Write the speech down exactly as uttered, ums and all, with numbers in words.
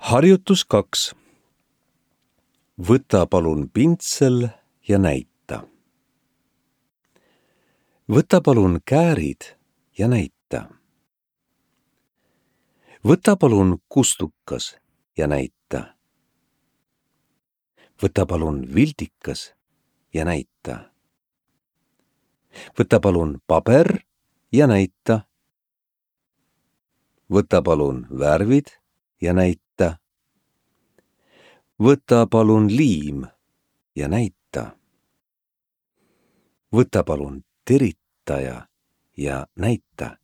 Harjutus kaks. Võta palun pintsel ja näita. Võta palun käärid ja näita. Võta palun kustukas ja näita. Võta palun vildikas ja näita. Võta palun paber ja näita. Võta palun värvid ja näita. Võta palun liim ja näita. Võta palun teritaja ja näita.